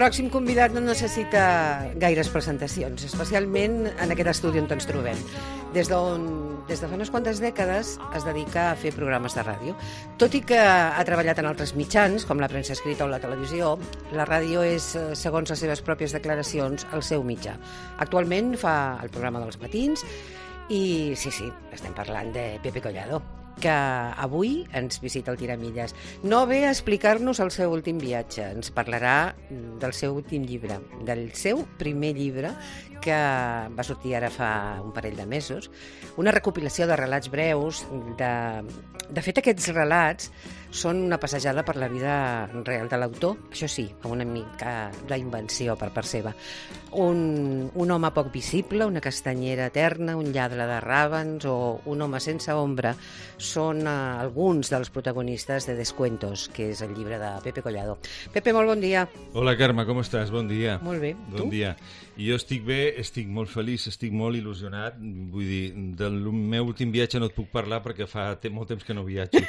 pròxim convidat no necessita gaires presentacions, especialment en aquest estudi on ens trobem. Des de fa unes quantes dècades es dedica a fer programes de ràdio. Tot i que ha treballat en altres mitjans, com la premsa escrita o la televisió, la ràdio és, segons les seves pròpies declaracions, el seu mitjà. Actualment fa el programa dels matins i, sí, estem parlant de Pepe Collado, que avui ens visita el Tiramilles. No ve a explicar-nos el seu últim viatge, ens parlarà del seu últim llibre, del seu primer llibre, que va sortir ara fa un parell de mesos, una recopilació de relats breus. De fet, aquests relats són una passejada per la vida real de l'autor, això sí, amb una mica d'invenció per part seva. Un home poc visible, una castanyera eterna, un lladre de ràbans o un home sense ombra són alguns dels protagonistes de Descuentos, que és el llibre de Pepe Collado. Pepe, molt bon dia. Hola, Carme, com estàs? Bon dia. Molt bé. Bon dia. Jo estic bé, estic molt feliç, estic molt il·lusionat. Vull dir, del meu últim viatge no et puc parlar perquè fa molt temps que no viatjo.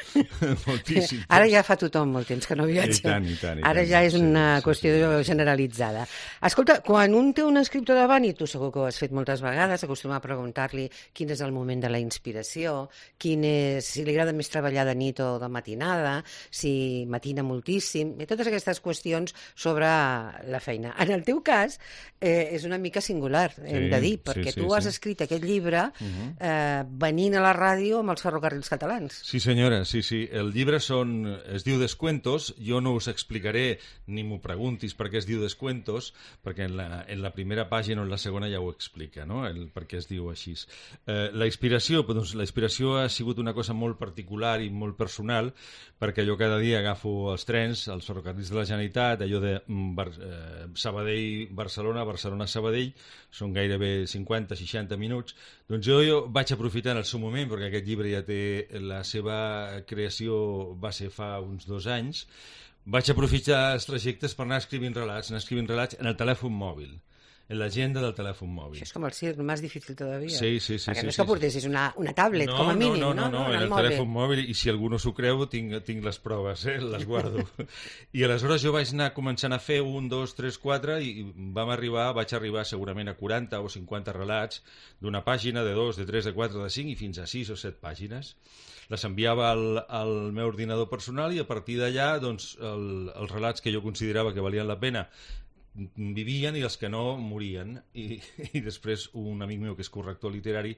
Moltíssim. Ara ja fa tothom molt temps que no viatja. I tant. Ara ja és una qüestió generalitzada. Escolta, quan un té un escriptor davant, i tu segur que ho has fet moltes vegades, acostuma a preguntar-li quin és el moment de la inspiració, si li agrada més treballar de nit o de matinada, si matina moltíssim, i totes aquestes qüestions sobre la feina. En el teu cas, és una mica singular, hem de dir, perquè tu has escrit aquest llibre venint a la ràdio amb els ferrocarrils catalans. Sí, senyora, sí. El llibre es diu Descuentos. Jo no us explicaré ni m'ho preguntis per què es diu Descuentos, perquè en la primera pàgina o en la segona ja ho explica, no? Per què es diu així. La inspiració ha sigut una cosa molt particular i molt personal, perquè jo cada dia agafo els trens, els ferrocarrils de la Generalitat, allò de Sabadell-Barcelona, Barcelona-Sabadell, són gairebé 50-60 minuts. Doncs jo vaig aprofitar en el seu moment, perquè aquest llibre ja té la seva creació, va ser fa uns 2 anys, vaig aprofitar els trajectes per anar escrivint relats en el telèfon mòbil, en l'agenda del telèfon mòbil. Això és com el circ, més difícil todavía. Sí. Perquè no és que portessis una tablet, com a mínim, no? No, en el telèfon mòbil, i si algú no s'ho creu, tinc les proves, les guardo. I aleshores jo vaig anar començant a fer 1, 2, 3, 4, i vaig arribar segurament a 40 o 50 relats d'una pàgina, de 2, de 3, de 4, de 5, i fins a 6 o 7 pàgines. Les enviava al meu ordinador personal i a partir d'allà doncs, els relats que jo considerava que valien la pena vivien i els que no morien, i després un amic meu que és corrector literari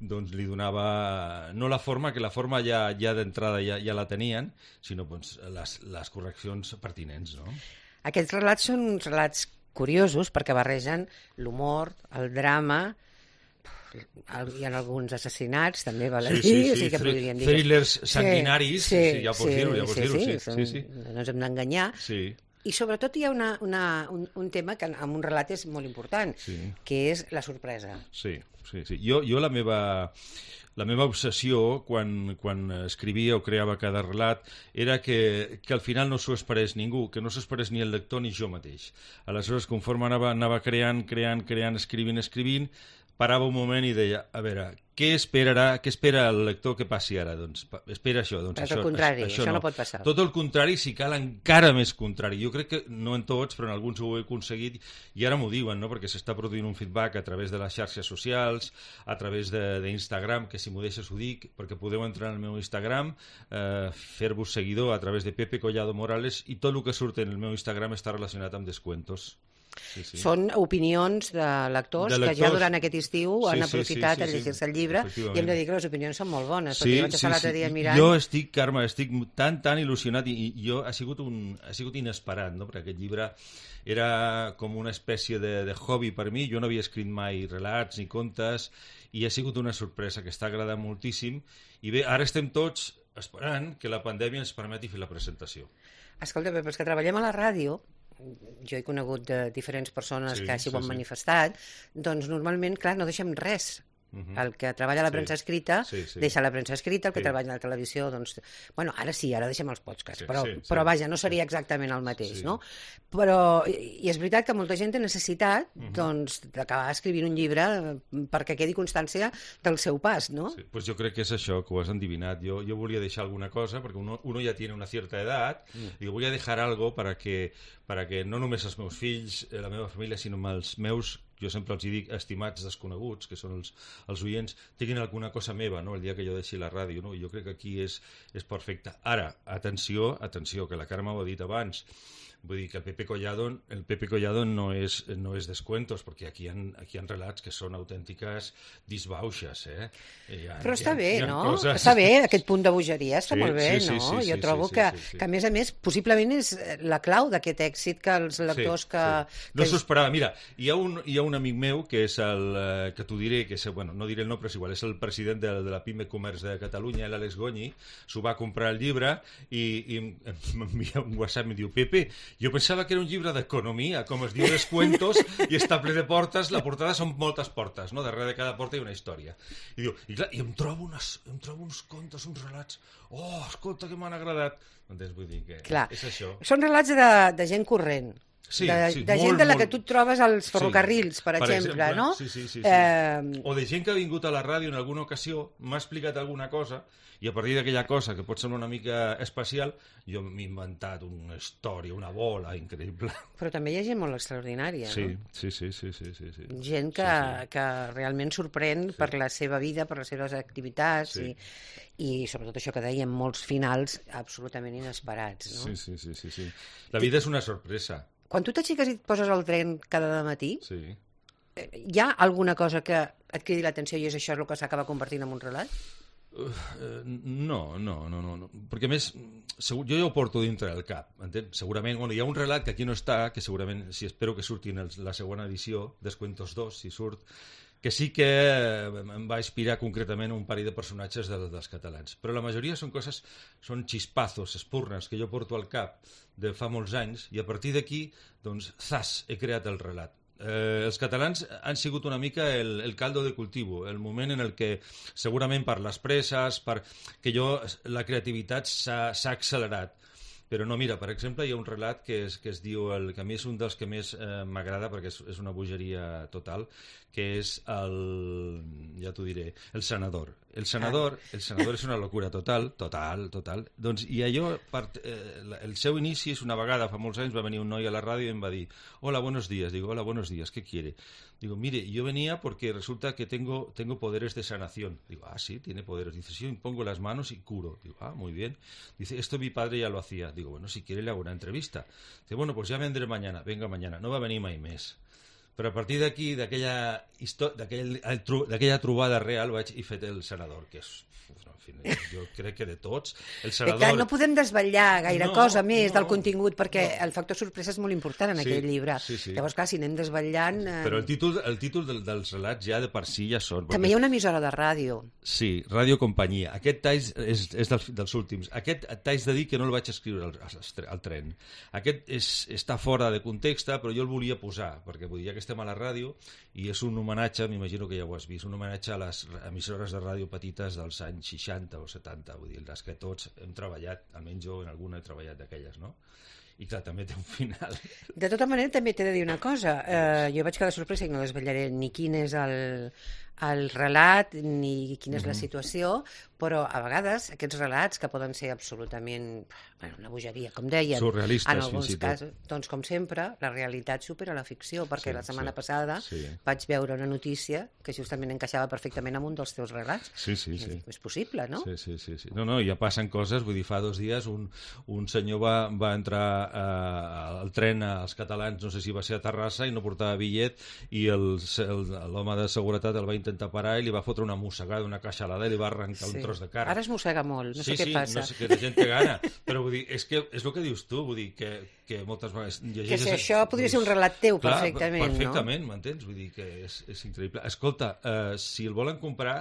doncs li donava no la forma, que la forma ja d'entrada ja la tenien, sinó doncs, les correccions pertinents, no? Aquests relats són uns relats curiosos perquè barregen l'humor, el drama, hi ha alguns assassinats, també val a dir, sí, que podrien dir thrillers sanguinaris, ja pots dir-ho, sí. No ens hem d'enganyar. Sí. I sobretot hi ha un tema que en un relat és molt important, que és la sorpresa. Sí. Jo la meva obsessió quan escrivia o creava cada relat era que al final no s'ho esperés ningú, que no s'ho esperés ni el lector ni jo mateix. Aleshores, conforme anava creant, escrivint, parava un moment i deia, a veure, què espera el lector que passi ara? Doncs espera això. Doncs al contrari, això no pot passar. Tot el contrari, si cal encara més contrari. Jo crec que no en tots, però en alguns ho he aconseguit, i ara m'ho diuen, no? Perquè s'està produint un feedback a través de les xarxes socials, a través d'Instagram, que si m'ho deixes ho dic, perquè podeu entrar al meu Instagram, fer-vos seguidor a través de Pepe Collado Morales, i tot el que surt en el meu Instagram està relacionat amb Descuentos. Sí. Són opinions de lectors que ja durant aquest estiu han aprofitat a llegir-se el llibre, i hem de dir que les opinions són molt bones, perquè jo vaig estar l'altre dia mirant. Jo estic, Carme, tan il·lusionat, i jo ha sigut inesperat, no? Perquè aquest llibre era com una espècie de hobby per mi. Jo no havia escrit mai relats ni contes, i ha sigut una sorpresa que està agradant moltíssim. I bé, ara estem tots esperant que la pandèmia ens permeti fer la presentació. Escolta, però els que treballem a la ràdio, jo he conegut de diferents persones que així ho han manifestat, doncs normalment, clar, no deixem res El que treballa a la premsa escrita deixa la premsa escrita, el que treballa a la televisió, doncs... Bueno, ara deixem els podcasts, però vaja, no seria exactament el mateix, no? Però, i és veritat que molta gent té necessitat, doncs, d'acabar escrivint un llibre perquè quedi constància del seu pas, no? Sí, pues jo crec que és això, que ho has endivinat. Jo volia deixar alguna cosa, perquè uno ja tiene una cierta edad, i voy a dejar algo para que no només els meus fills, la meva família, sinó els meus, jo sempre els dic, estimats desconeguts, que són els oients, tinguin alguna cosa meva, no?, el dia que jo deixi la ràdio, no? I jo crec que aquí és perfecte. Ara, atenció, que la Carme ho ha dit abans, vull dir que el Pepe Collado no és descuentos, perquè aquí hi ha relats que són autèntiques disbauxes, Però està bé, no? Està bé, aquest punt de bogeria, està molt bé, no? Jo trobo que, a més a més, possiblement és la clau d'aquest èxit que els lectors que... No s'ho esperava. Mira, hi ha un amic meu que és que t'ho diré, bueno, no diré el nom, però és igual, és el president de la PIME Comerç de Catalunya, l'Àlex Goñi, s'ho va comprar el llibre i m'envia un WhatsApp i em diu: Pepe, jo pensava que era un llibre d'economia, com es diu Descuentos, i està ple de portes, la portada són moltes portes, no? Darrere de cada porta hi ha una història. I diu, i em trobo uns contes, uns relats, escolta, que m'han agradat. Doncs vull dir que és això. Són relats de gent corrent. De gent de la que tu et trobes als ferrocarrils, per exemple, no? Sí. O de gent que ha vingut a la ràdio en alguna ocasió, m'ha explicat alguna cosa, i a partir d'aquella cosa, que pot semblar una mica especial, jo m'he inventat una història, una bola increïble. Però també hi ha gent molt extraordinària, no? Sí. Gent que realment sorprèn per la seva vida, per les seves activitats, i sobretot això que dèiem, molts finals absolutament inesperats, no? Sí. La vida és una sorpresa. Quan tu t'aixeques i et poses al tren cada matí, hi ha alguna cosa que et cridi l'atenció i és això el que s'acaba convertint en un relat? No, perquè a més jo ja ho porto dintre del cap, entens? Segurament, hi ha un relat que aquí no està, que segurament, espero que surti en la següent edició, Descuentos 2, si surt, que sí que em va inspirar concretament un parell de personatges dels catalans, però la majoria són xispazos, espurnes, que jo porto al cap de fa molts anys, i a partir d'aquí, doncs, he creat el relat. Els catalans han sigut una mica el caldo de cultivo, el moment en el que segurament per les presses, que la creativitat s'ha accelerat. Però no, mira, per exemple, hi ha un relat que es diu, que a mi és un dels que més m'agrada perquè és una bogeria total, que és ja t'ho diré, El Senador. El Senador és una locura total. Doncs, i allò, el seu inici és una vegada, fa molts anys, va venir un noi a la ràdio i em va dir: hola, buenos días. Digo, hola, buenos días, ¿qué quiere? Digo, mire, yo venía porque resulta que tengo poderes de sanación. Digo, sí, tiene poderes. Dice, sí, impongo las manos y curo. Digo, muy bien. Dice, esto mi padre ya lo hacía. Digo, bueno, si quiere le hago una entrevista. Dice, bueno, pues ya vendré mañana. Venga mañana. No va venir mai més. Però a partir d'aquí, d'aquella trobada real, vaig i fet El Senador, que és... jo crec que de tots El Senador... Clar, no podem desvetllar gaire cosa més del contingut, perquè el factor sorpresa és molt important en aquell llibre. Llavors, clar, si anem desvetllant... Però el títol dels relats ja de per si ja són... També hi ha una emissora de ràdio. Sí, Ràdio Companyia. Aquest tall és dels últims. Aquest t'haig de dir que no el vaig escriure al tren. Aquest està fora de context, però jo el volia posar, perquè vull dir, ja que estem a la ràdio, i és un homenatge, m'imagino que ja ho has vist, un homenatge a les emissores de ràdio petites dels anys 60 o 70, vull dir, les que tots hem treballat, almenys jo en alguna he treballat d'aquelles, no? I clar, també té un final. De tota manera, també t'he de dir una cosa. Jo vaig quedar sorpresa i no desvetllaré ni quin és el relat ni quina és la situació, però a vegades aquests relats que poden ser absolutament una bogeria, com deien, surrealistes, en alguns casos, doncs com sempre, la realitat supera la ficció, perquè la setmana passada vaig veure una notícia que justament encaixava perfectament amb un dels teus relats. Sí. És possible, no? Sí. No, ja passen coses, vull dir, fa 2 dies un senyor va entrar al tren als catalans, no sé si va ser a Terrassa, i no portava bitllet, i l'home de seguretat el va intentar parar i li va fotre una mossegada, una queixalada, i li va arrencar un tros de carn. Ara es mossega molt, no sé què passa. No sé què, la gent té gana, però vull dir, és el que dius tu, vull dir que moltes vegades... Que si això podria ser un relat teu, perfectament, no? Perfectament, m'entens? Vull dir que és increïble. Escolta, si el volen comprar...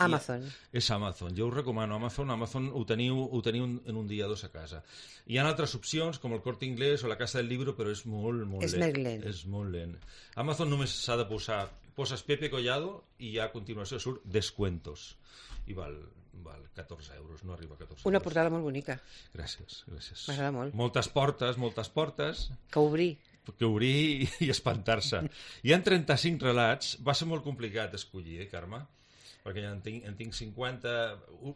Amazon. És Amazon, jo us recomano Amazon ho teniu en un dia o 2 a casa. Hi ha altres opcions, com el Corte Inglés o la Casa del Libro, però és molt lent. És més lent. És molt lent. Amazon només s'ha de posar poses Pepe Collado i ja a continuació surt Descuentos. I val 14 euros, no arriba a 14 euros. Una portada molt bonica. Gràcies. M'agrada molt. Moltes portes. Que obrir i espantar-se. Hi ha 35 relats. Va ser molt complicat escollir, Carme? Perquè en tinc 50...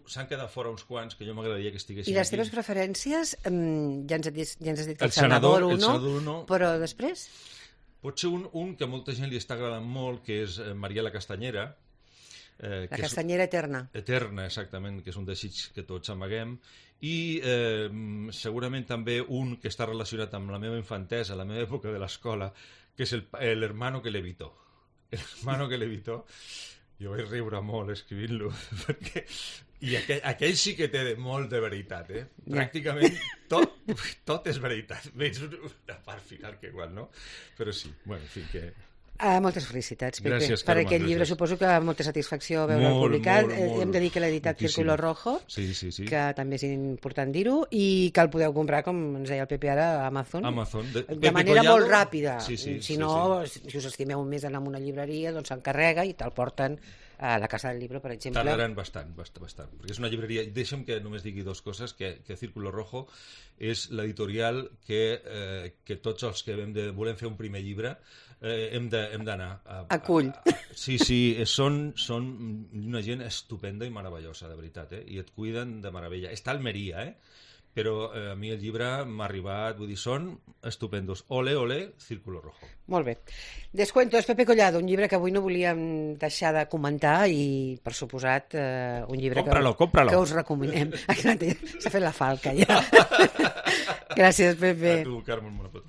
S'han quedat fora uns quants que jo m'agradaria que estiguessin aquí. I les teves preferències? Ja ens has dit que el Senador 1, però després? Pot ser un que a molta gent li està agradant molt, que és Mariela Castanyera. La castanyera eterna. Eterna, exactament, que és un desig que tots amaguem. I segurament també un que està relacionat amb la meva infantesa, la meva època de l'escola, que és l'hermano que levitó. L'hermano que levitó. Jo vaig riure molt escrivint-lo, perquè... I aquell sí que té molt de veritat, Pràcticament tot és veritat. Veig una part final que igual, no? Però sí, bueno, en fi, que... moltes felicitats, Pepe. Gràcies, per Carme, aquest llibre suposo que molta satisfacció veure'l publicat. Hem de dir que l'ha editat Círculo Rojo, que també és important dir-ho, i que el podeu comprar, com ens deia el Pepe ara, a Amazon. De manera molt ràpida. Si no, si us estimeu més anar a una llibreria, doncs s'encarrega i te'l porten a la Casa del Libro, per exemple. Tardaran bastant, perquè és una llibreria... Deixa'm que només digui dues coses, que Círculo Rojo és l'editorial que tots els que volem fer un primer llibre hem d'anar. Acull. Sí, són una gent estupenda i meravellosa, de veritat, i et cuiden de meravella. Està a Almeria, però a mi el llibre m'ha arribat, vull dir, són estupendos. Ole, Círculo Rojo. Molt bé. Descuentos, Pepe Collado, un llibre que avui no volíem deixar de comentar i, per suposat, un llibre que us recomanem. S'ha fet la falca, ja. Gràcies, Pepe. A tu, Carme, molt a tu.